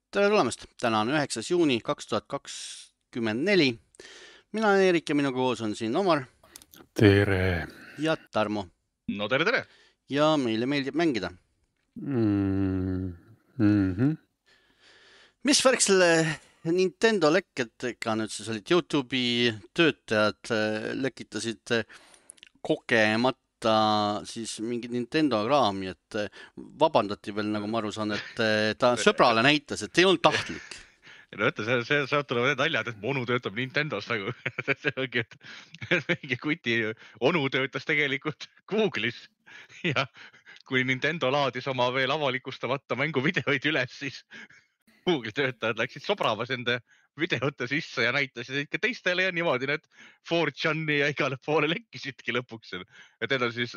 Tere tulemast! Täna on 9. juuni 2024. Mina olen Eerik ja minu koos on siin Omar Tere! ja Tarmo. No tere! Ja meile meeldib mängida. Mis värk selle Nintendo lekketega nüüd siis olid? YouTube'i töötajad lekitasid kogemata siis mingit Nintendo kraami, et vabandati veel, nagu ma aru saan, et ta sõbrale näitas, et ei olnud tahtlik. No ütle, see tulevad need naljad, et onu töötab Nintendos nagu. See ongi, et mingi kuti onu töötas tegelikult Google'is ja kui Nintendo laadis oma veel avalikustamata mänguvideoid üles, siis Google töötajad läksid sobramas enda videote sisse ja näitasid ikka teistele ja niimoodi need 4chan'i ja igale poole lekkisidki lõpuks. Et need on siis,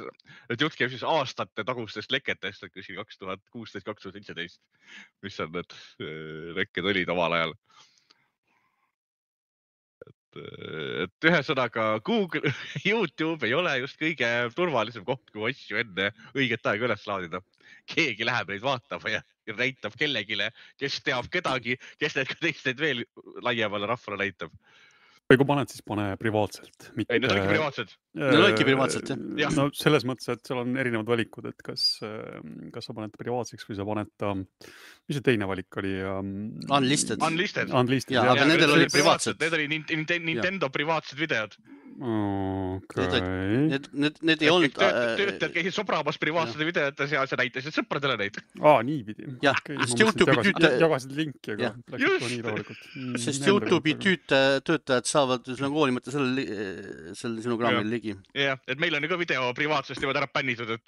et jutt käib siis aastate tagustest leketest, et 2016-2017, mis on need lekked olid omal ajal. Et ühesõnaga Google, YouTube ei ole just kõige turvalisem koht, kui asju enne õiget aega üles laadida. Keegi läheb neid vaatama ja näitab kellegile, kes teab kedagi, kes need ka teised veel laiemale rahvale näitab. Või kui paned, siis pane privaatselt. Ei, need olidki privaatselt. Need olidki privaatselt, jah. No selles mõttes, et seal on erinevad valikud, et kas sa paned privaatseks või sa paned mis see teine valik oli? Unlisted. Ja, aga nendel olid privaatsed. Need oli Nintendo privaatsed videod. Okay. Need ei olnud... Töötajad käisid sobramas privaatsete videotes ja see näitasid sõpradele neid. Niipidi. Jah, sest YouTube'i jagasid linki, aga läksid nii rahulikult. Sest YouTube'i töötajad saavad hoolimata selle sinu kraamil ligi. Jah, et meil on ju ka video privaatsest niimoodi ära pännitud, et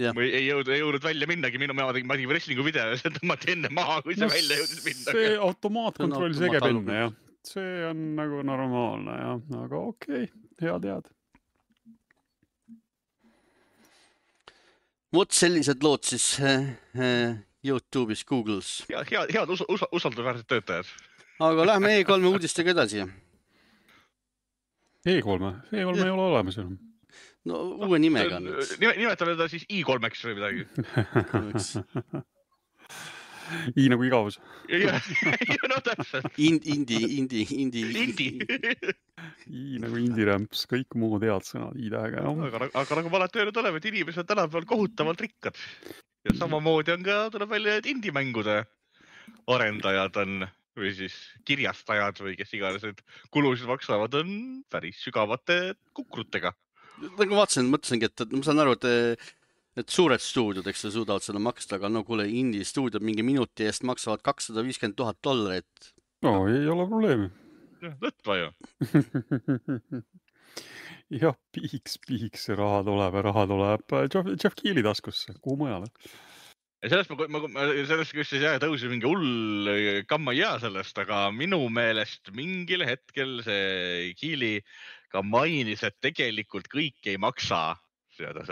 ei jõudnud välja minnagi. Ma tegin wrestlingu video ja see tõmmati enne maha, kui see välja jõudis minna. See automaatkontroll segeb enne, jah. See on nagu normaalne, jah. Aga okei, hea tead. Vot sellised lood siis YouTube'is, Google's. Head usaldusväärsed töötajad. Aga lähme E3 uudistega edasi. E3 ei ole olemas enam. No uue nimega nüüd. Nimetame teda siis I3-ks või midagi. I nagu igavus. No täpselt. Indi. I nagu indirämps, kõik muud head sõnad I-tähega. Aga nagu ma alati öelnud oleme, et inimesed tänapäeval kohutavalt rikkad. Ja samamoodi on ka, tuleb välja, et indimängude arendajad on, või siis kirjastajad või kes iganes, et kulusid maksavad on päris sügavate kukrutega. Nagu vaatasin, mõtlesingi, et ma saan aru, et suured stuudiod, eks sa suudavad seda maksta, aga no kuule, indie stuudiod mingi minuti eest maksavad $250,000. No, ei ole probleemi. Lõtva ju. Jah, piiks, raha tuleb. Jeff Keeli taskusse, kuhu mujale? Sellest küsis tõusi mingi hull kamma ei jää sellest, aga minu meelest mingil hetkel see Keeli ka mainis, et tegelikult kõik ei maksa seda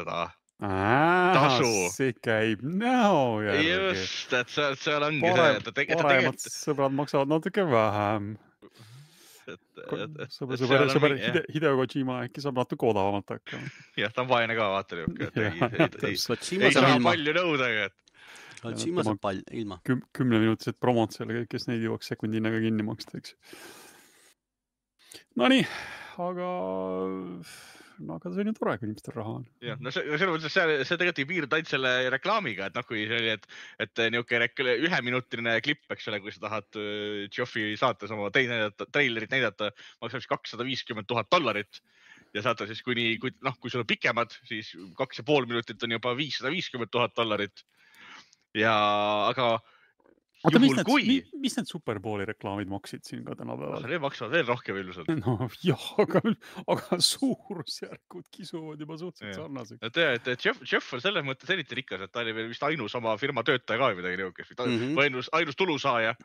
tasu. See käib näo järgi. Just, et seal ongi see. Paremad sõbrad maksavad natuke vähem. Sõber Hideo Kojima äkki saab natuke odavamalt hakkama. Jah, ta on vaene ka, vaata niuke. Ei saa palju nõuda. Kojima saab palju ilma. 10-minutised promod selle, kes neid jõuaks sekundinaga kinni maksta, eks. No nii, aga see on ju tore, kui inimestel raha on. Jah, no see tegelikult ei piirdu ainult selle reklaamiga, et kui see oli, et niuke üheminutiline klipp, eks ole, kui sa tahad Geoffi saates oma trailerit näidata, maksab $250,000 ja saate siis kui sul on pikemad, siis 2,5 minutit on juba $550,000 ja aga mis need Superbowli reklaamid maksid siin ka tänapäeval? Need maksavad veel rohkem ilmselt. No jah, aga suurusjärgud kisuvad juba suhteliselt sarnaseks. Et Jeff on selles mõttes eriti rikas, et ta oli veel vist ainus oma firma töötaja ka midagi niukest. Või ainus tulusaaja.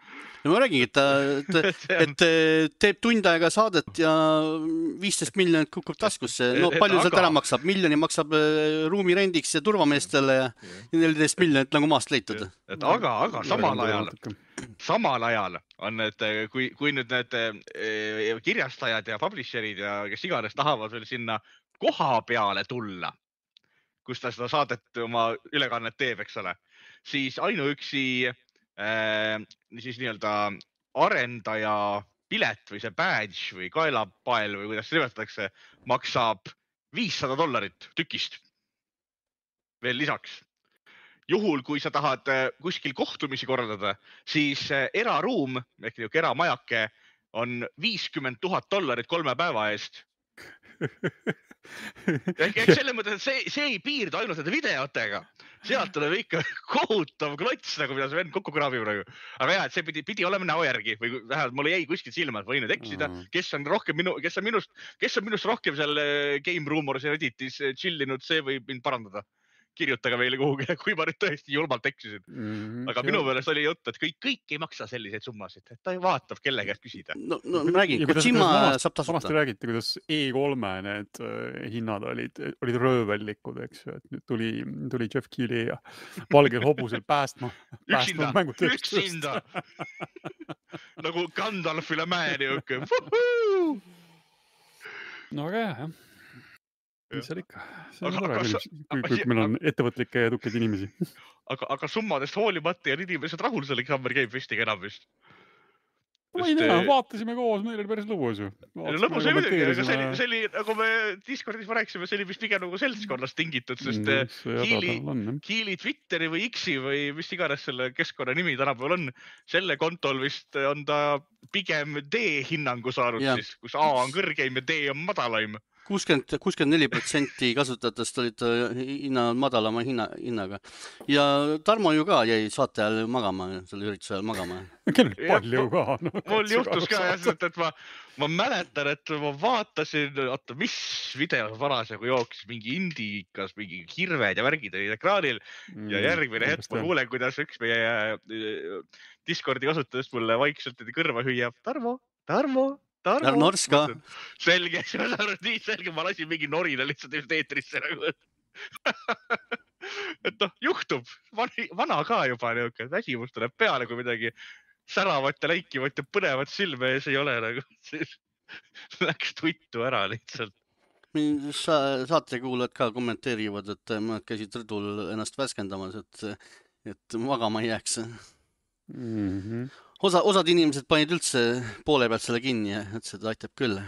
No ma räägin, et teeb tund aega saadet ja 15 miljonit kukub taskusse. No palju sealt ära maksab? Miljoni maksab ruumirendiks ja turvameestele ja 14 miljonit nagu maast leitud. Aga samal ajal on need, kui nüüd need kirjastajad ja publisherid ja kes iganes tahavad veel sinna koha peale tulla, kus ta seda saadet oma ülekannet teeb, eks ole, siis ainuüksi siis nii-öelda arendaja pilet või see badge või kaelapael või kuidas seda nimetatakse, maksab $500 tükist veel lisaks. Juhul, kui sa tahad kuskil kohtumisi korraldada, siis eraruum ehk eramajake on $50,000 3 päeva eest. Ehk selles mõttes, et see ei piirdu ainult nende videotega. Sealt tuleb ikka kohutav klots, nagu mida see vend kokku kraabib praegu. Aga jah, et see pidi olema näo järgi või vähemalt mulle jäi kuskil silma, et võin nüüd eksida, kes on minust rohkem seal Game Rumors ja Redditis chillinud, see võib mind parandada. Kirjutage meile kuhugi, kui ma nüüd tõesti julmalt eksisin. Aga minu meelest oli jutt, et kõik ei maksa selliseid summasid, et ta vaatab kelle käest küsida. No räägin, Kojima saab tasuta. Vanasti räägiti, kuidas E3 need hinnad olid röövellikud, eks ju, et nüüd tuli Jeff Keighley ja valgel hobusel päästma mängutööstust. Üksinda. Nagu Gandalf üle mäe niuke. No aga jah. Mis seal ikka? See on tore, kui meil on ettevõtlikke ja tukkeid inimesi. Aga summadest hoolimata ja inimesed rahul selle Summer Game Festiga enam vist. Ma ei tea, vaatasime koos, meil oli päris lõbus ju. Lõbus oli muidugi, aga see oli, nagu me Discordis rääkisime, see oli vist pigem nagu seltskonnast tingitud, sest Keighley Twitteri või X-i või mis iganes selle keskkonna nimi tänapäeval on, selle kontol vist on ta pigem D-hinnangu saanud siis, kus A on kõrgeim ja D on madalaim. 64% kasutajatest olid madalama hinnaga. Ja Tarmo ju ka jäi saate ajal magama, selle ürituse ajal magama. Kell palju ka. Mul juhtus ka jah, et ma mäletan, et ma vaatasin, mis video parasjagu jooksis, mingi indikas, mingi hirved ja värgid olid ekraanil ja järgmine hetk ma kuulen, kuidas üks meie Discordi kasutajast mulle vaikselt kõrva hüüab. Tarmo. Norska. Selge, nii selge, ma lasin mingi norina lihtsalt eetrisse nagu. Et juhtub, vana ka juba niuke, väsimus tuleb peale, kui midagi säravat ja läikivat ja põnevat silme ees ei ole nagu. Läks tuttu ära lihtsalt. Saatekuulajad ka kommenteerivad, et mõned käisid rõdul ennast värskendamas, et magama ei jääks. Osad inimesed panid üldse poole pealt selle kinni ja ütlesid, et aitab küll.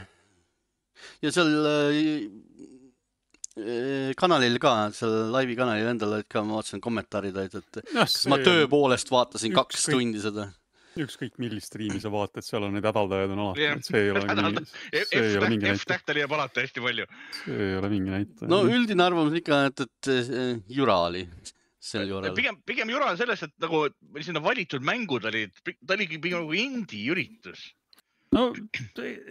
Ja seal kanalil ka, seal laivi kanalil endal olid ka, ma vaatasin kommentaarid, et ma töö poolest vaatasin 2 tundi seda. Ükskõik millist striimi sa vaatad, seal on need hädaldajad on alati, et see ei ole mingi näite. F-tähtel jääb alati hästi palju. See ei ole mingi näite. No üldine arvamus ikka, et jura oli. Pigem jura on selles, et nagu sinna valitud mängud olid, ta oligi pigem nagu indie üritus. No,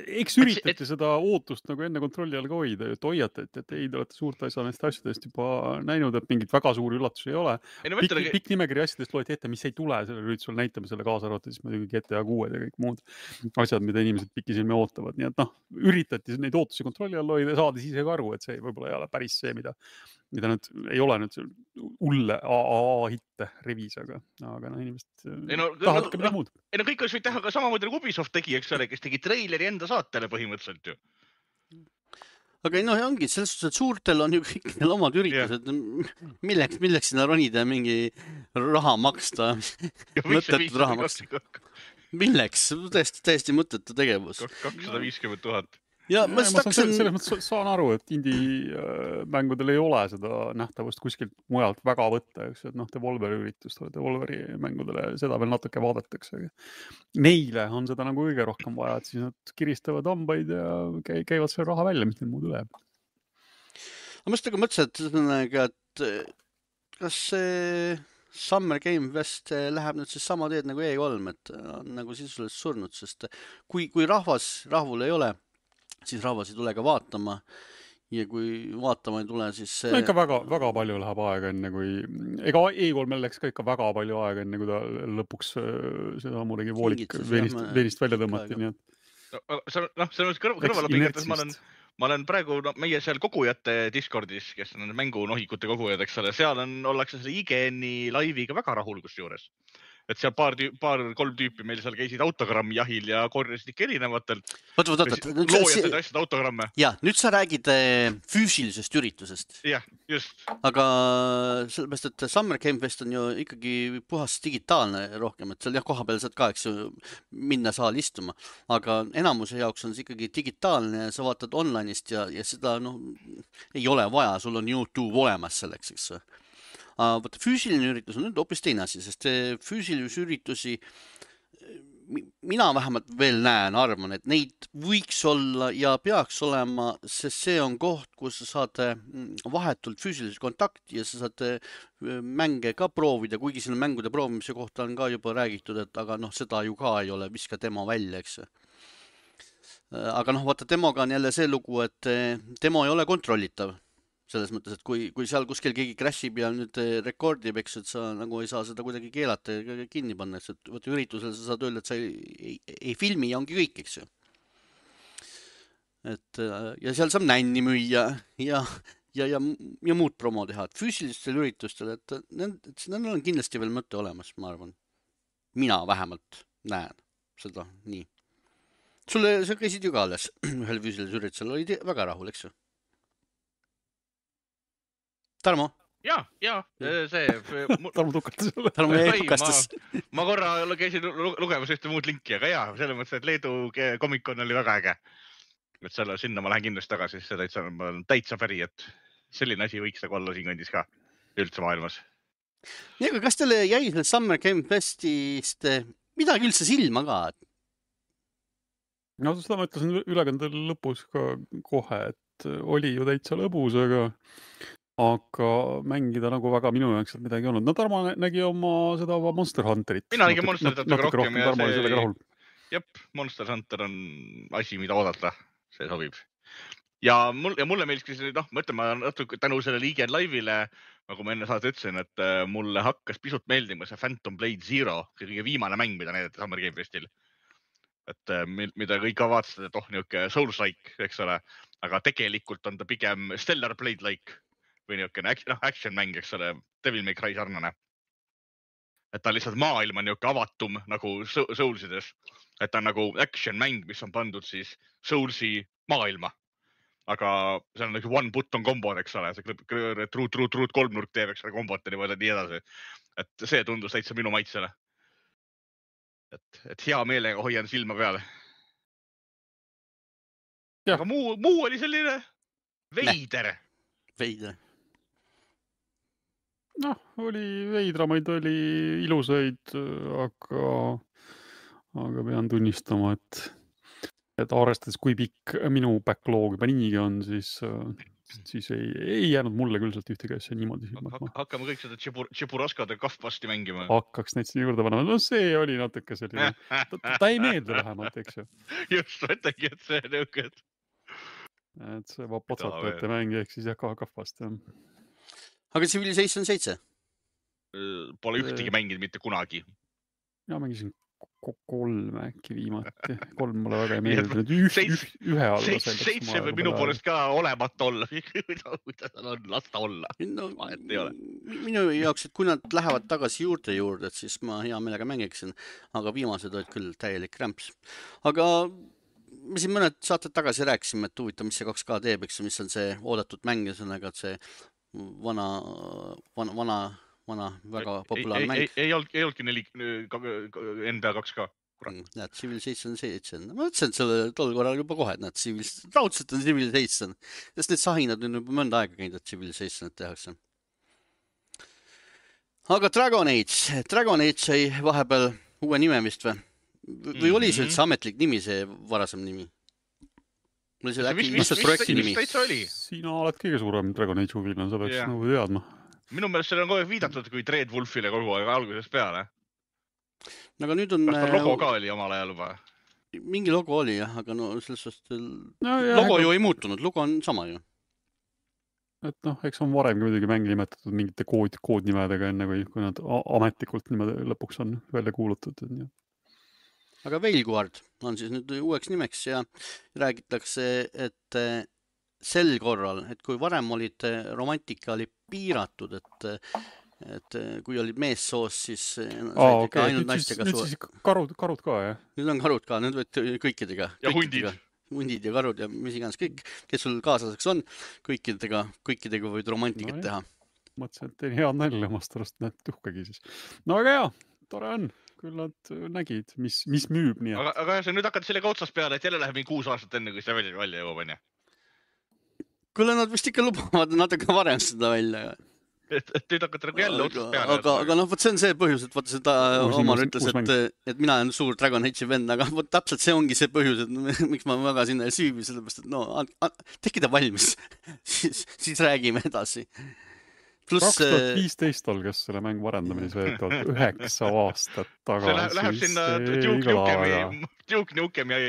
eks üritati seda ootust nagu enne kontrolli all ka hoida, et hoiatati, et ei, te olete suurt asja neist asjadest juba näinud, et mingit väga suuri üllatusi ei ole. Pikk nimekiri asjadest loeti ette, mis ei tule selle üritusel, näitame selle kaasa arvata, siis muidugi GTA 6 ja kõik muud asjad, mida inimesed pikisilme ootavad. Nii et üritati neid ootusi kontrolli all hoida ja saadi ise ka aru, et see võib-olla ei ole päris see, mida nüüd ei ole nüüd ulle AA-hitte revis, aga inimesed tahavad ka midagi muud. Kõik võid teha ka samamoodi nagu Ubisoft tegi, eks ole, kes tegi treileri enda saatele põhimõtteliselt ju. Aga ongi, selles suhtes, et suurtel on ju kõikidel omad üritused. Milleks sinna ronida ja mingi raha maksta? Mõttetud raha maksta. Milleks? Täiesti mõttetu tegevus. 250,000. Ja ma selles mõttes saan aru, et indie-mängudel ei ole seda nähtavust kuskilt mujalt väga võtta, eks, et Devolveri üritust, Devolveri mängudele seda veel natuke vaadatakse. Neile on seda nagu kõige rohkem vaja, et siis nad kiristavad hambaid ja käivad selle raha välja, mis neil muud üle jääb. Ma just mõtlesin, et kas see Summer Game Fest läheb nüüd siis sama teed nagu E3, et on nagu sisuliselt surnud, sest kui rahvul ei ole, siis rahvas ei tule ka vaatama ja kui vaatama ei tule, siis no ikka väga palju läheb aega enne kui ega E3 läks ka ikka väga palju aega enne kui ta lõpuks seda muidugi voolik veenist välja tõmmati, nii et see on kõrvala pingetes, ma olen praegu meie seal kogujate Discordis, kes on mängunohikute kogujad, eks ole, seal ollakse selle IGN-i laiviga väga rahul kusjuures. et seal paar-kolm tüüpi meil seal käisid autogrammi jahil ja korjasid ikka erinevatelt. Loojad asjad autogramme. Ja, nüüd sa räägid füüsilisest üritusest. Jah, just. Aga sellepärast, et Summer Game Fest on ju ikkagi puhas digitaalne rohkem, et seal jah, koha peal saad ka, eks ju, minna saali istuma. Aga enamuse jaoks on see ikkagi digitaalne ja sa vaatad online'ist ja seda ei ole vaja, sul on YouTube olemas selleks, eks. Vaata, füüsiline üritus on nüüd hoopis teine asi, sest füüsilisi üritusi mina vähemalt veel arvan, et neid võiks olla ja peaks olema, sest see on koht, kus sa saad vahetult füüsilist kontakti ja sa saad mänge ka proovida, kuigi selle mängude proovimise kohta on ka juba räägitud, et aga seda ju ka ei ole, viska demo välja, eks. Aga vaata, demoga on jälle see lugu, et demo ei ole kontrollitav. Selles mõttes, et kui seal kuskil keegi crashib ja nüüd rekordib, eks, et sa nagu ei saa seda kuidagi keelata ja kinni panna, et võtta üritusel sa saad öelda, et sa ei filmi ja ongi kõik, eks ju. Et, ja seal saab nänni müüa ja muud promo teha, et füüsilistel üritustel, et nendel on kindlasti veel mõte olemas, ma arvan. Mina vähemalt näen seda nii. Sa käisid ju ka alles ühel füüsilisel üritusel, olid väga rahul, eks ju? Tarmo? Ja, see... Tarmo tukatas sulle. Tarmo jäi tukastas. Ma korra käisin lugemas ühte muud linki, aga jaa, selles mõttes, et Leedu komikon oli väga äge. Et sinna ma lähen kindlasti tagasi, see on täitsa päri, et selline asi võiks nagu olla siin kandis ka üldse maailmas. Nii, aga kas teile jäi selle Summer Game Festist midagi üldse silma ka? No seda ma ütlesin ülekande lõpus ka kohe, et oli ju täitsa lõbus, aga mängida nagu väga minu jaoks midagi ei olnud. No Tarmo nägi seda Monster Hunterit. Mina nägin Monster Hunterit rohkem. Tarmo oli sellega rahul. Jep, Monster Hunter on asi, mida oodata. See sobib. Ja mulle meeldis, ma ütlen, ma natuke tänu selle Legion Live'ile, nagu ma enne saada ütlesin, et mulle hakkas pisut meeldima see Phantom Blade Zero, kõige viimane mäng, mida näidati Summer Game Festil. Et mida kõik ka vaatasid, et niuke Souls-like, eks ole, aga tegelikult on ta pigem Stellar Blade-like või niukene action mäng, eks ole, Devil May Cry sarnane. Et ta lihtsalt maailm on niuke avatum nagu Soulsides. Et ta on nagu action mäng, mis on pandud siis Soulsi maailma. Aga see on nagu one button kombod, eks ole, see truut kolmnurk teeb, eks ole, kombot ja nii edasi. Et see tundus täitsa minu maitsele. Et hea meelega hoian silma peale. Ja. Aga muu oli selline veider. Veider. Oli veidramaid, oli ilusaid, aga pean tunnistama, et arvestades, kui pikk minu backlog juba niigi on, siis ei jäänud mulle küll sealt ühtegi asja niimoodi silma. Hakkame kõik seda Tšepuraskade kahvasti mängima. Hakkaks neid siin juurde panema. No see oli natuke selline. Ta ei meeldi vähemalt, eks ju. Just, mõtlengi, et see nõukad. Et see potsatajate mäng ehk siis kahvast. Aga Civilization 7? Pole ühtegi mänginud mitte kunagi. Ja mängisin 3 äkki viimati. 3 mulle väga ei meeldinud. Ühe alla. 7 või minu poolest ka olemata olla. Kuidas tal on, lasta olla. Minu jaoks, et kui nad lähevad tagasi juurde, et siis ma hea meelega mängiksin. Aga viimased olid küll täielik rämps. Aga me siin mõned saated tagasi rääkisime, et huvitav, mis see 2K teeb, eks, mis on see oodatud mäng ja sõnaga, et see vana väga populaarne mäng. Ei olnudki NBA 2K. Näed, Civilization 7. Ma ütlesin, et selle tol korral juba kohe, et raudselt on Civilization. Sest need sahinad on juba mõnda aega käinud, et Civilizationit tehakse. Aga Dragon Age sai vahepeal uue nime vist või? Või oli see üldse ametlik nimi, see varasem nimi? Mul oli see äkki lihtsalt projekti nimi. Sina oled kõige suurem Dragon Age huviline, sa peaks nagu teadma. Minu meelest selle on kogu aeg viidatud kui Dread Wolfile kogu aeg algusest peale. Aga nüüd on... Kas ta logo ka oli omal ajal juba? Mingi logo oli jah, aga sellest logo ju ei muutunud, logo on sama ju. Et eks on varemgi muidugi mänge nimetatud mingite koodnimedega enne, kui nad ametlikult niimoodi lõpuks on välja kuulutatud. Aga Veilguard on siis nüüd uueks nimeks ja räägitakse, et sel korral, et kui varem olid romantika oli piiratud, et et kui olid meessoos, siis said ikka ainult naistega nüüd siis karud ka, jah? Nüüd on karud ka, nüüd võid kõikidega. Ja hundid. Hundid ja karud ja mis iganes kõik, kes sul kaaslaseks on, kõikidega võid romantikat teha. Mõtlesin, et tein head nalja omast arust, näed tuhkagi siis. No aga hea, tore on. Küll nad nägid, mis müüb nii. Aga sa nüüd hakkad sellega otsast peale, et jälle läheb 6 aastat enne, kui see välja jõuab, on ja? Kuule, nad vist ikka lubavad natuke varem seda välja. Et nüüd hakkad nagu jälle otsast peale. Aga noh, võt see on see põhjus, et võt seda Omar ütles, et mina olen suur Dragon Age'i vend, aga võt täpselt see ongi see põhjus, et miks ma väga sinna ei süübi, sellepärast, et no, tehke ta valmis, siis räägime edasi. 2015 algas selle mängu arendamine, see 9 aastat tagasi. See läheb sinna Duke Nukemi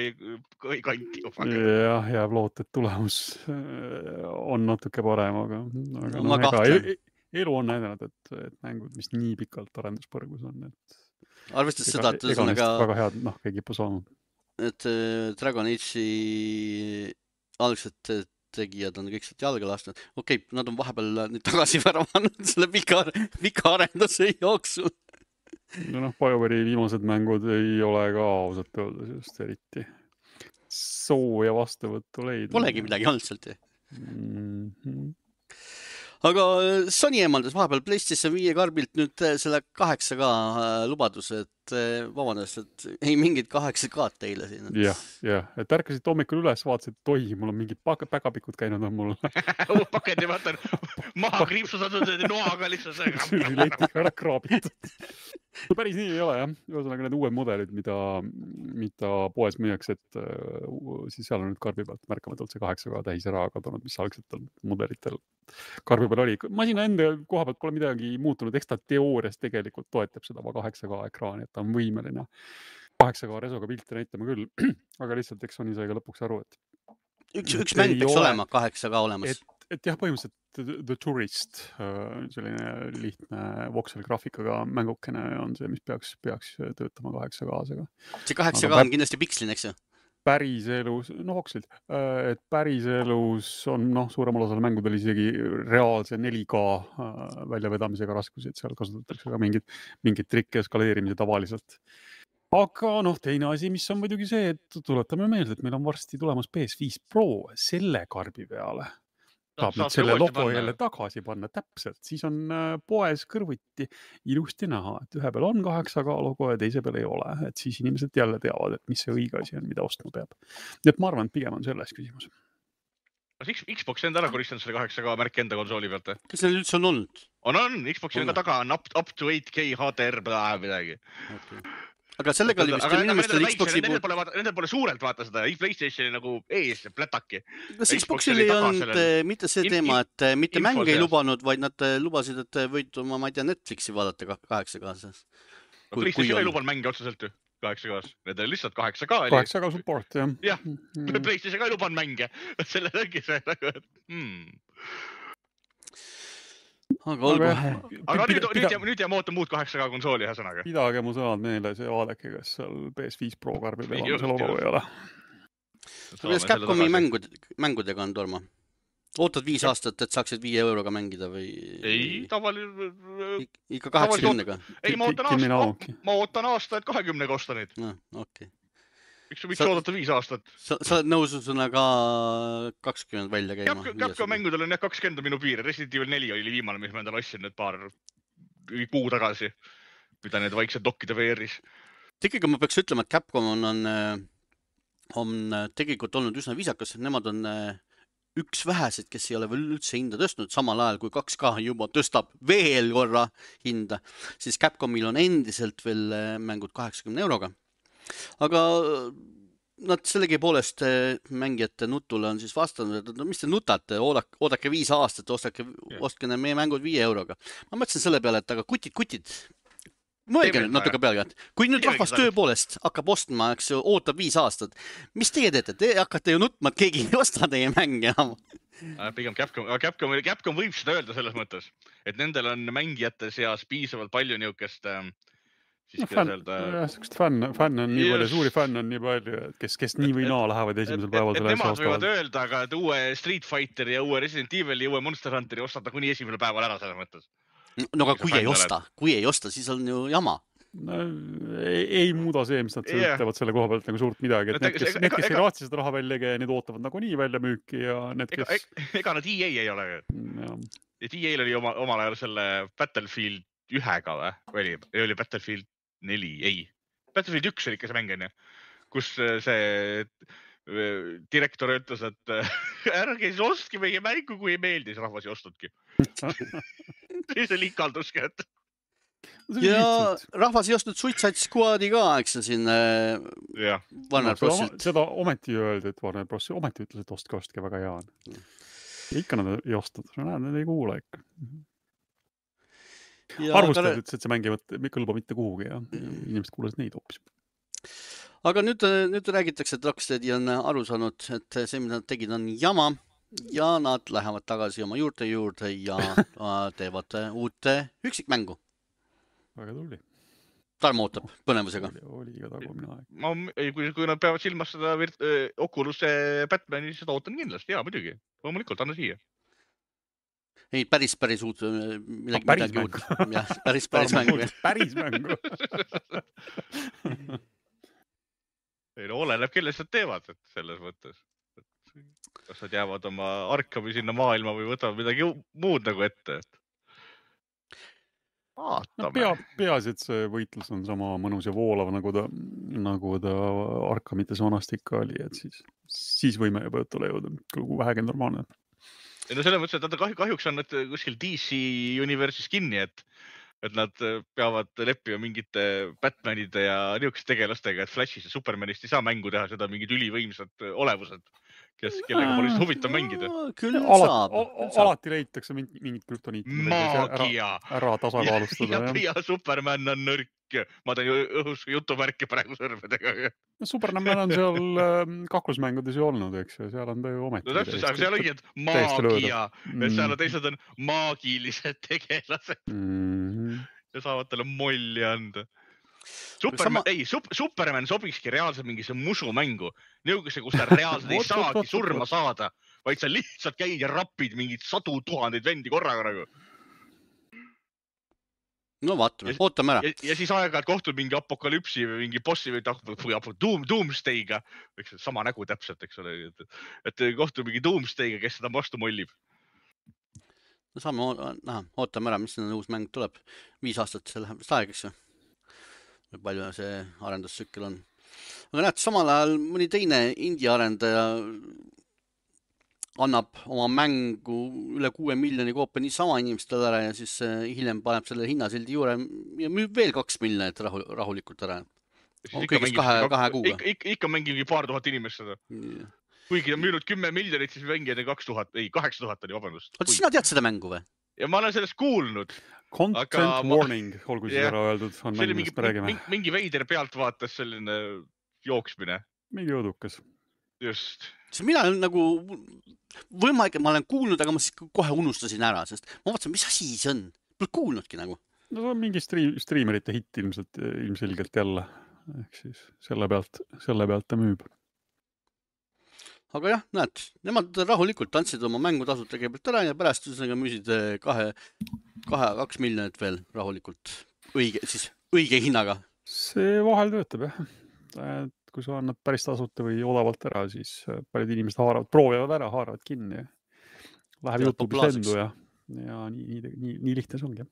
kanti. Jah, jääb loot, et tulemus on natuke parem, aga elu on näidanud, et mängud, mis nii pikalt arenduspõrgus on, et arvestades seda, et väga head nahka ei kipu saanud. Et Dragon Age'i algselt tegijad on kõik sealt jalga lastud. Okei, nad on vahepeal nüüd tagasi värvanud selle pika arenduse jooksul. No BioWare'i viimased mängud ei ole ka ausalt öeldes just eriti sooja vastuvõttu leidnud. Polegi midagi olnud sealt. Aga Sony eemaldas vahepeal PlayStation 5 karbilt nüüd selle 8K lubaduse, et vabandust, et ei mingid 8K teile siin. Jah, et ärkasid hommikul üles, vaatasid, et oi, mul on mingid päkapikud käinud on mul. Pakendi vaatan, maha kriipsusatud noaga lihtsalt. Letiga ära kraabitud. Päris nii ei ole, jah. Ühesõnaga need uued mudelid, mida poes müüaks, et siis seal on nüüd karbi pealt märkamatult see 8K täis ära kadunud, mis algsetel mudelitel karbi peal oli. Masina enda koha pealt pole midagi muutunud, eks ta teoorias tegelikult toetab seda 8K ekraani, et ta on võimeline 8K resoga pilti näitama küll, aga lihtsalt eks Sony sai ka lõpuks aru, et üks mäng peaks olema 8K olemas. Et jah, põhimõtteliselt The Tourist, selline lihtne voxel-graafikaga mängukene on see, mis peaks töötama 8K-sega. See 8K on kindlasti pikslin, eks ju? Päris elus, voxlid, et päris elus on suurem osal mängudel isegi reaalse 4K väljavedamisega raskusi, et seal kasutatakse ka mingid trikke eskaleerimise tavaliselt. Aga teine asi, mis on muidugi see, et tuletame meelde, et meil on varsti tulemas PS5 Pro selle karbi peale. Saab nüüd selle logo jälle tagasi panna täpselt, siis on poes kõrvuti ilusti näha, et ühe peal on 8K logo ja teise peal ei ole, et siis inimesed jälle teavad, et mis see õige asi on, mida ostma peab. Nii et ma arvan, et pigem on selles küsimus. Kas Xbox enda ära koristanud selle 8K märki enda konsooli pealt? Kas see üldse on olnud? On, Xboxi on ka taga, on up to 8K HDR midagi. Aga sellega oli vist inimestel Xboxi Nendel pole suurelt vaata seda, PlayStationi nagu ees plätaki. Kas Xboxil ei olnud mitte see teema, et mitte mänge ei lubanud, vaid nad lubasid, et võid oma, ma ei tea, Netflixi vaadata 8K-s. PlayStation ei lubanud mänge otseselt ju 8K-s. Need oli lihtsalt 8K. 8K support, jah. Jah, PlayStation ka ei lubanud mänge. Selle ongi see nagu, et Aga nüüd jääme oota muud 8K konsooli ühesõnaga. Pidage mu sõnad meele, see vaadake, kas seal PS5 Pro karbi peal on see logo ei ole. Kuidas Capcomi mängudega on, Torma? Ootad 5 aastat, et saaksid 5 euroga mängida või? Ei, tavaliselt... Ikka 80-ga? Ei, ma ootan aasta, et 20-ga osta neid. Okei. Miks oodata 5 aastat? Sa oled nõus ka 20 välja käima? Capcom mängudel on 20 minu piir. Resident Evil 4 oli viimane, mis ma endale ostsin nüüd paar kuu tagasi, mida need vaiksed dokkide VR-is. Tegelikult ma peaks ütlema, et Capcom on tegelikult olnud üsna viisakas. Nemad on üks vähesed, kes ei ole veel üldse hinda tõstnud, samal ajal kui 2K juba tõstab veel korra hinda, siis Capcomil on endiselt veel mängud 80 euroga. Aga nad sellegi poolest mängijate nutule on siis vastanud, et mis te nutate, oodake 5 aastat, ostke meie mängud 5 euroga. Ma mõtlesin selle peale, et aga kutid, mõelge nüüd natuke peale, et kui nüüd rahvas töö poolest hakkab ostma, eks ju, ootab 5 aastat, mis teie teete? Te hakkate ju nutma, et keegi ei osta teie mänge enam. Pigem Capcom võib seda öelda selles mõttes, et nendel on mängijate seas piisavalt palju niukest fänn on nii palju, suuri fänn on nii palju, kes nii või naa lähevad esimesel päeval selle asja ostavad. Nemad võivad öelda, aga uue Street Fighteri ja uue Resident Evil ja uue Monster Hunteri ostad kuni esimesel päeval ära selles mõttes. No aga kui ei osta, siis on ju jama. No, ei muuda see, mis nad ütlevad selle koha pealt nagu suurt midagi. Et need, kes ei raatsi seda raha välja ja need ootavad nagu nii välja müüki ja need, kes... Ega nad EA ei ole. Et EA oli omal ajal selle Battlefield 1-ga või? Oli Battlefield 4, ei. Battlefield 1 oli ikka see mäng, kus see direktor ütles, et ärge siis ostki meie mängu, kui ei meeldis, rahvas ei ostnudki. See oli ikalduski, et... Ja rahvas ei ostnud Suicide Squadi ka, eks see siin Warner Brosilt. Seda ometi öeldi, et Warner Bros. Ometi ütles, et ostke väga hea on. Ja ikka nad ei ostnud. Nad ei kuule ikka. Arvustavad ütles, et see mäng ei kõlba mitte kuhugi ja inimesed kuulesid neid hoopis. Aga nüüd räägitakse, et Rocksteadi on aru saanud, et see, mida nad tegid, on jama ja nad lähevad tagasi oma juurde ja teevad uute üksikmängu. Väga tuli. Tarmo ootab põnevusega. Oli iga tagumine aeg. Kui nad peavad silmas seda Oculus'e Batmani, siis seda ootan kindlasti. Jaa, muidugi. Loomulikult, anna siia. Ei, päris uut. Päris mängu. Jah, päris mängu. Päris mängu. Ei, no oleneb, kellest nad teevad, et selles mõttes. Kas nad jäävad oma Arkami sinna maailma või võtavad midagi muud nagu ette, et... No, peaasi, et see võitlus on sama mõnus ja voolav, nagu ta Arkamites vanasti ikka oli, et siis võime juba jutule jõuda, kui vähegi normaalne. No selles mõttes, et kahjuks on nad kuskil DC Universe'is kinni, et nad peavad leppima mingite Batmanide ja niisugust tegelastega, et Flashist ja Supermanist ei saa mängu teha, seda mingid ülivõimsad olevused, kellega pole huvitav mängida. Küll saab. Alati leitakse mingit krüptoniiti. Maagia! Ära tasakaalustada. Ja Superman on nõrk. Ma teen õhus jutuvärki praegu sõrmedega. Superman on seal kaklusmängudes ju olnud, eks ju. Seal on ta ju ometi. No täpselt, aga seal ongi, et maagia. Et seal on teised on maagilised tegelased. Ja saavad talle molli anda. Superman sobikski reaalselt mingisse musumängu. Nõugusse, kus ta reaalselt ei saagi surma saada, vaid sa lihtsalt käid ja rapid mingid 100 000 vendi korraga nagu. No vaatame, ootame ära. Ja siis aeg-ajalt kohtud mingi apokalüpsi või mingi bossi või Doomsday'ga. Sama nägu täpselt, eks ole. Et kohtud mingi Doomsday'ga, kes seda vastu mollib. No saame, ootame ära, mis uus mäng tuleb. 5 aastat see läheb aeg, eks ju. Palju see arendustsükkel on. Aga näed, samal ajal mõni teine indie arendaja annab oma mängu üle 6 miljoni koopia niisama inimestele ära ja siis hiljem paneb selle hinnasildi juurde ja müüb veel 2 miljonit rahulikult ära. Kõigest 2 kuuga. Ikka mängib paar tuhat inimest seda. Kuigi on müünud 10 miljonit, siis mängijad 800 oli, vabandust. Oot, sina tead seda mängu või? Ja ma olen sellest kuulnud. Content warning, olgu siis ära öeldud, on mängimist me räägime. Mingi veider pealt vaatas selline jooksmine. Mingi õudukas. Just. Mina olen nagu võimalik, et ma olen kuulnud, aga ma siis kohe unustasin ära, sest ma vaatasin, mis asi see on. Pole kuulnudki nagu. No see on mingi striimerite hitt ilmselgelt jälle. Ehk siis selle pealt ta müüb. Aga jah, näed, nemad rahulikult andsid oma mängutasud kõigepealt ära ja pärast müüsid 2 miljonit veel rahulikult õige hinnaga. See vahel töötab, jah. Kui sa annad päris tasuta või odavalt ära, siis paljud inimesed proovivad ära, haaravad kinni. Läheb YouTube'is lendu ja nii lihtne see ongi.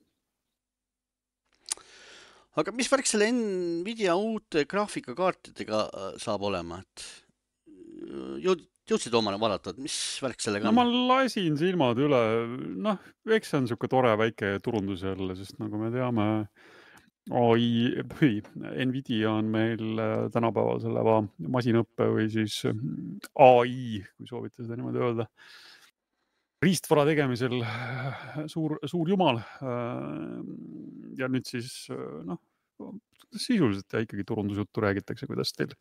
Aga mis värk selle Nvidia uute graafikakaartidega saab olema? Jõudsid omale vaadata, et mis värk sellega on? No ma lasin silmad üle. Eks see on niisugune tore väike turundus jälle, sest nagu me teame, Nvidia on meil tänapäeval selle masinõppe või siis AI, kui soovite seda niimoodi öelda, riistvara tegemisel suur jumal. Ja nüüd siis, sisuliselt ja ikkagi turundusjuttu räägitakse, kuidas teil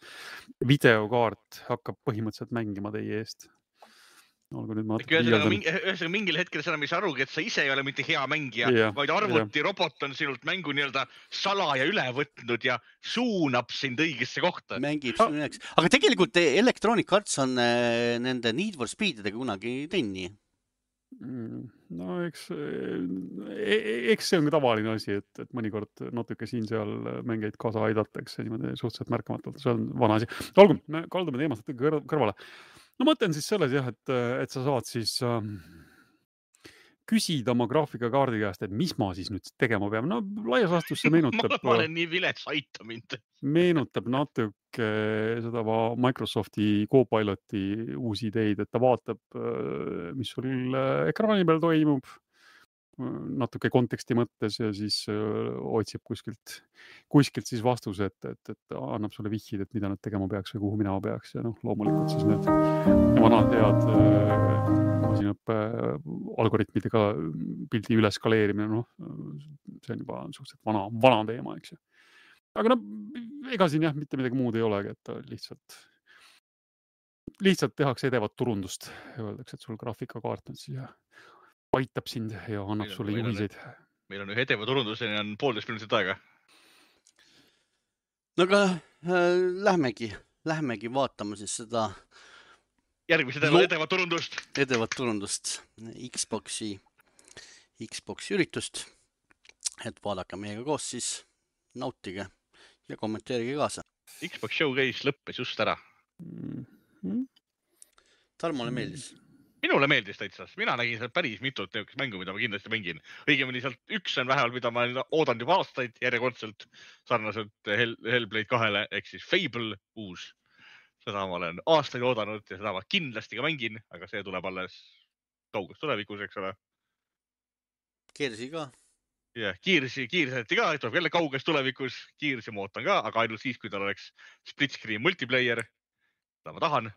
videokaart hakkab põhimõtteliselt mängima teie eest. Ühesõnaga mingil hetkel sa enam ei saa arugi, et sa ise ei ole mitte hea mängija, vaid arvutirobot on sinult mängu nii-öelda salaja üle võtnud ja suunab sind õigesse kohta. Mängib sinuneks. Aga tegelikult Electronic Arts on nende Need for Speedidega kunagi teinud nii. No eks see on ka tavaline asi, et mõnikord natuke siin-seal mängeid kaasa aidatakse niimoodi suhteliselt märkamatult, see on vana asi. Olgu, me kaldume teemast kõrvale. No mõtlen siis selles jah, et sa saad siis küsida oma graafikakaardi käest, et mis ma siis nüüd tegema pean. No laias laastus see meenutab... ma olen nii vilets, aita mind. Meenutab natuke seda Microsofti Copiloti uusi ideid, et ta vaatab, mis sul ekraani peal toimub, natuke konteksti mõttes ja siis otsib kuskilt siis vastuse, et annab sulle vihjid, et mida nad tegema peaks või kuhu minema peaks. Ja loomulikult siis need vanad head masinaõppe algoritmidega pildi üleskaleerimine, see on juba suhteliselt vana teema, eks ju. Aga ega siin jah, mitte midagi muud ei olegi, et lihtsalt tehakse edevat turundust ja öeldakse, et sul graafikakaart on siis ja aitab sind ja annab sulle juhiseid. Meil on ühe edeva turunduseni on 1,5 minutit aega. No aga lähmegi vaatama siis seda järgmise edevat turundust. Edevat turundust, Xboxi üritust. Et vaadake meiega koos siis, nautige ja kommenteerige kaasa. Xbox Showcase lõppes just ära. Tarmole meeldis? Minule meeldis täitsa. Mina nägin seal päris mitut mängu, mida ma kindlasti mängin. Õigemini sealt üks on vähemalt, mida ma oodan juba aastaid järjekordselt sarnaselt Hellblade 2-le, ehk siis Fable uus. Seda ma olen aastaid oodanud ja seda ma kindlasti ka mängin, aga see tuleb alles kauges tulevikus, eks ole. Keersi ka? Jah, kiirsi ka, tuleb jälle kauges tulevikus. Kiirsi ma ootan ka, aga ainult siis, kui tal oleks split screen multiplayer. Seda ma tahan.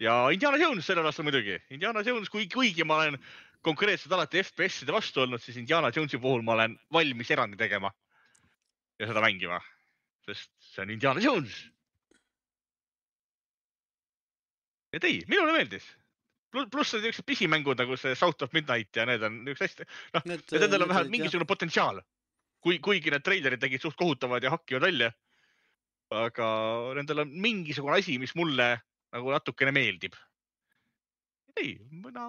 Ja Indiana Jones sellel aastal muidugi. Indiana Jones, kuigi ma olen konkreetselt alati FPS-ide vastu olnud, siis Indiana Jonesi puhul ma olen valmis erandi tegema ja seda mängima, sest see on Indiana Jones. Ja minule meeldis. Pluss need niisugused pisimängud nagu see South of Midnight ja need on niisugused hästi, nendel on vähemalt mingisugune potentsiaal. Kuigi need treilerid tegid suht kohutavad ja hakkivad välja, aga nendel on mingisugune asi, mis mulle nagu natukene meeldib. Mina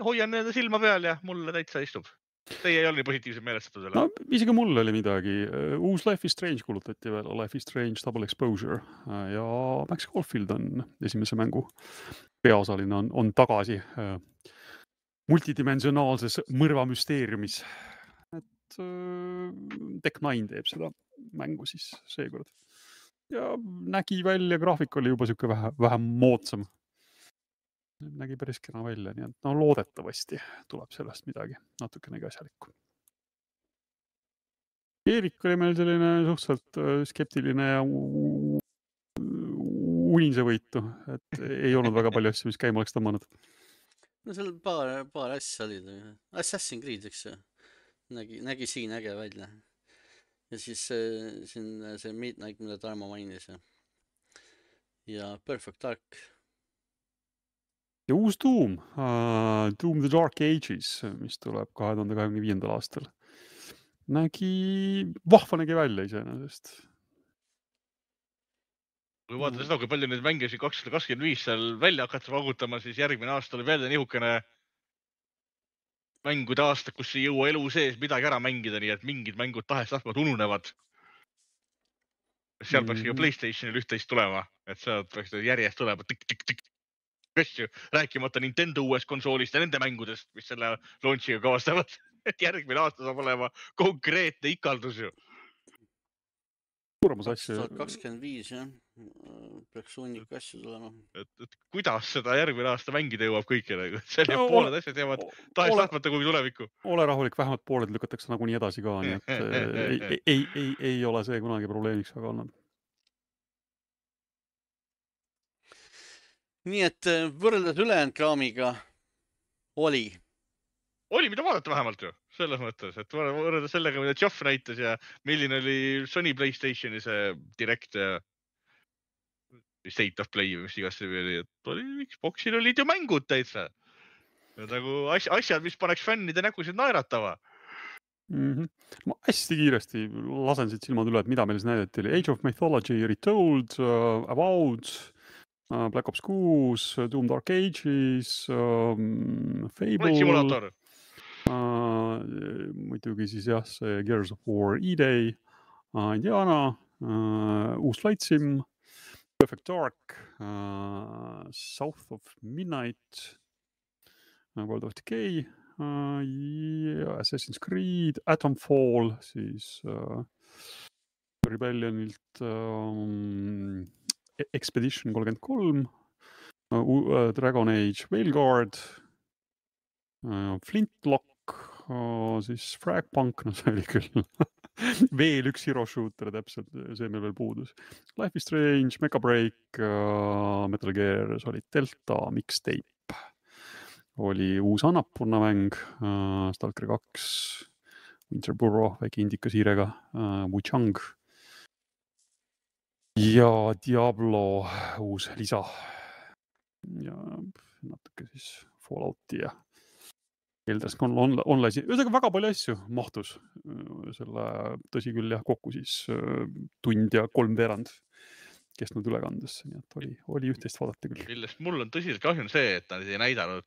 hoian nende silma peal ja mulle täitsa istub. Teie ei ole nii positiivselt meelestatud selle? No, isegi mul oli midagi. Uus Life is Strange kuulutati veel, Life is Strange Double Exposure ja Max Caulfield on esimese mängu peaosaline on tagasi multidimensionaalses mõrvamüsteeriumis. Et Tech9 teeb seda mängu siis seekord. Ja nägi välja, graafik oli juba siuke vähem moodsam. Nägi päris kena välja, nii et loodetavasti tuleb sellest midagi natukenegi asjalikku. Erik oli meil selline suhteliselt skeptiline ja unisevõitu, et ei olnud väga palju asju, mis käima oleks tõmmanud. No seal paar asja olid. Assassin's Creed, eks ju. Nägi siin äge välja. Ja siis see Midnight, mida Tarmo mainis. Ja Perfect Dark. Ja uus Doom The Dark Ages, mis tuleb 2025. aastal. Vahva nägi välja iseenesest. Kui vaadata seda, kui palju neid mänge 2025 seal välja hakata vagutama, siis järgmine aasta oli veel nihukene mängude aasta, kus ei jõua elu sees midagi ära mängida, nii et mingid mängud tahes-tahtmata ununevad. Seal peaks ka PlayStationil üht-teist tulema, et seal peaks järjest tulema asju, rääkimata Nintendo uuest konsoolist ja nende mängudest, mis selle launchiga kaastavad. Et järgmine aasta saab olema konkreetne ikaldus ju. Suuremas asju. 2025, jah. Peaks hunnik asju tulema. Et kuidas seda järgmine aasta mängida jõuab kõikile? Selle pooled asjad jäävad tahes-tahtmata kuhugi tulevikku. Ole rahulik, vähemalt pooled lükatakse nagunii edasi ka, nii et ei ole see kunagi probleemiks aga olnud. Nii et võrreldes ülejäänud kraamiga oli, mida vaadata vähemalt ju, selles mõttes, et võrreldes sellega, mida Geoff näitas ja milline oli Sony PlayStationi see direct ja State of Play või mis igasse oli, et Xboxil olid ju mängud täitsa. Nagu asjad, mis paneks fännide nägusid naeratava. Ma hästi kiiresti lasen siit silmad üle, et mida meil siis näidati. Age of Mythology Retold, Avowed, Black Ops 6, Doom Dark Ages, Fable. Simulaator. Muidugi siis jah, see Gears of War E-Day, Indiana, uus Flight Sim, Perfect Dark, South of Midnight, World of Decay, Assassin's Creed, Atomfall, siis Rebellionilt Expedition 33, Dragon Age Veilguard, Flintlock, siis Fragpunk, no see oli küll veel üks hero shooter, täpselt see meil veel puudus. Life is Strange, Mecha Break, Metal Gear Solid Delta, Mixtape. Oli uus Annapurna mäng, Stalker 2, Winter Burrow, väike indikasiirega, Wuchang ja Diablo uus lisa. Ja natuke siis Fallouti ja Elder Scrolls Online'i, ühesõnaga väga palju asju mahtus selle, tõsi küll jah, kokku siis tund ja 3/4 kestnud ülekandesse, nii et oli üht-teist vaadata küll. Millest mul on tõsiselt kahju see, et nad ei näidanud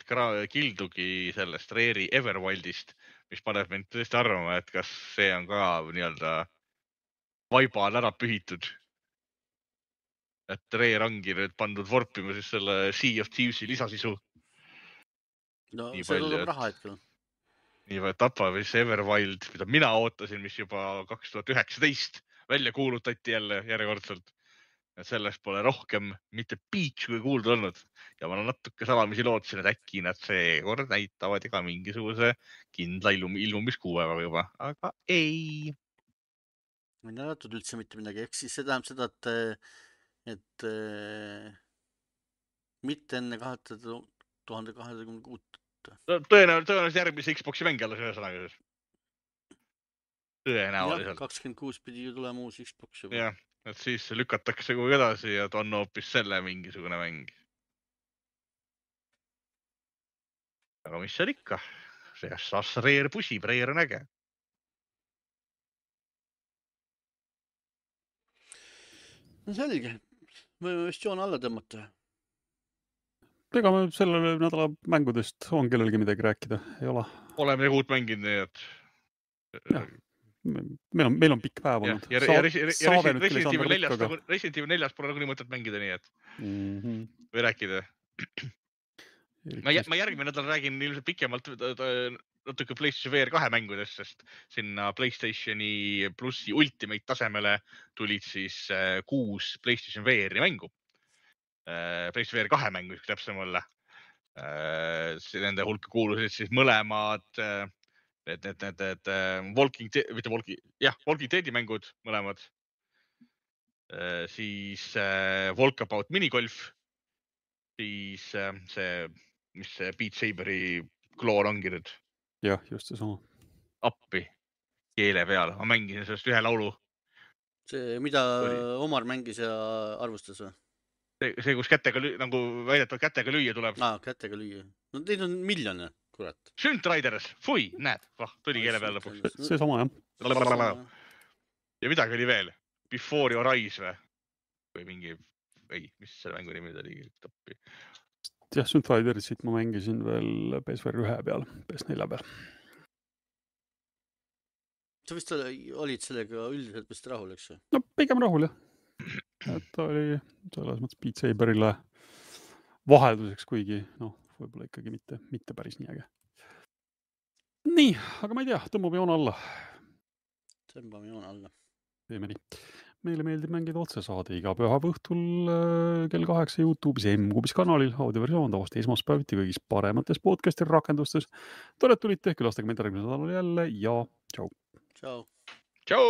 kildugi sellest Rare'i Everwildist, mis paneb mind tõesti arvama, et kas see on ka nii-öelda vaiba on ära pühitud. Et Rare ongi nüüd pandud vorpima siis selle Sea of Thieves'i lisasisu. No nii see tuleb raha hetkel. Nii palju tapab siis Everwild, mida mina ootasin, mis juba 2019 välja kuulutati jälle järjekordselt. Et sellest pole rohkem mitte piiks kui kuulda olnud. Ja ma natuke salamisi lootsin, et äkki nad seekord näitavad ka mingisuguse kindla ilmumiskuuega juba, aga ei. Ma ei näidatud üldse mitte midagi. Ehk siis see tähendab seda, et mitte enne 2026. Tõenäoliselt järgmise Xbox'i mängi alles ühesõnaga. Tõenäoliselt. 26 pidi ju tulema uus Xbox juba. Jah, et siis lükatakse kuhugi edasi ja on hoopis selle mingisugune mäng. Aga mis seal ikka? See Rare pusib, Rare on äge. No selge. Võime vist joon alla tõmmata. Ega me selle nädala mängudest on kellelgi midagi rääkida, ei ole. Oleme midagi uut mänginud, nii et... Ja, meil on pikk päev olnud. Ja Resident Evil 4 pole nagu nii mõtet mängida, nii et... Või rääkida. Ma järgmine nädal räägin ilmselt pikemalt natuke PlayStation VR 2 mängudest, sest sinna PlayStationi plussi Ultimate tasemele tulid siis 6 PlayStation VR-i mängu. PlayStation VR 2 mängu, üks täpsem olla. Nende hulka kuulusid siis mõlemad Walking Deadi mängud, mõlemad. Siis Walkabout minigolf. Siis see, mis see Beat Saberi kloor ongi nüüd. Jah, just see sama. Appi keele peal. Ma mängisin sellest ühe laulu. See, mida Omar mängis ja arvustas või? See, kus kätega nagu väidetavalt kätega lüüa tuleb. Kätega lüüa. No teid on miljone, kurat. Synth Riders, fui, näed, tuli keele peal lõpuks. See sama, jah. Ja midagi oli veel. Before Your Eyes või mingi, mis selle mängu nimi oli? Jah, Synth Ridersit ma mängisin veel PSVR 1 peal, PS4 peal. Sa vist olid sellega üldiselt vist rahul, eks? No pigem rahul, jah. Et oli selles mõttes Beat Saberile vahelduseks, kuigi võib-olla ikkagi mitte päris nii äge. Nii, aga ma ei tea, tõmbame joon alla. Tõmbame joon alla. Teeme nii. Meile meeldib mängida otsesaade iga pühapäeva õhtul kell 8 YouTube'is M-Kubis kanalil. Audioversioon tavasti esmaspäeviti kõigis paremates podcasti rakendustes. Tore tulite, külastage meid järgmisel nädalal jälle ja tšau. Tšau. Tšau.